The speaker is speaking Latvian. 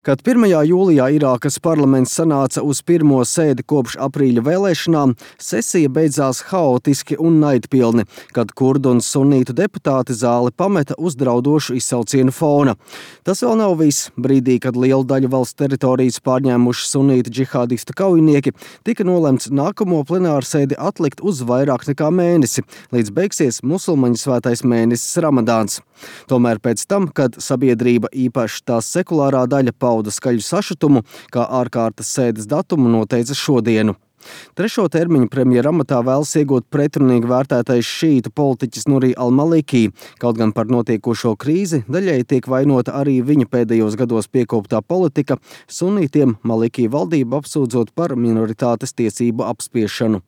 Kad 1. jūlijā Irākas parlaments sanāca uz pirmo sēdi kopš aprīļa vēlēšanām, sesija beidzās haotiski un naidpilni, kad kurdu un sunītu deputāti zāli pameta uz draudošu izsaucienu fona. Tas vēl nav viss. Brīdī, kad lielu daļu valsts teritorijas pārņēmuši sunītu džihādistu kaujinieki, tika nolemts nākamo plenārsēdi atlikt uz vairāk nekā mēnesi, līdz beigsies musulmaņu svētais mēnesis Ramadāns. Tomēr pēc tam, kad sabiedrība, īpaši tās sekulārā daļa, pauda skaļu sašutumu, kā ārkārtas sēdes datumu noteica šodienu. 3. termiņu premjera amatā vēlas iegūt pretrunīgi vērtētais šītu politiķis Nuri al-Maliki, kaut gan par notiekošo krīzi daļai tiek vainota arī viņa pēdējos gados piekoptā politika, sunītiem Maliki valdību apsūdzot par minoritātes tiesību apspiešanu.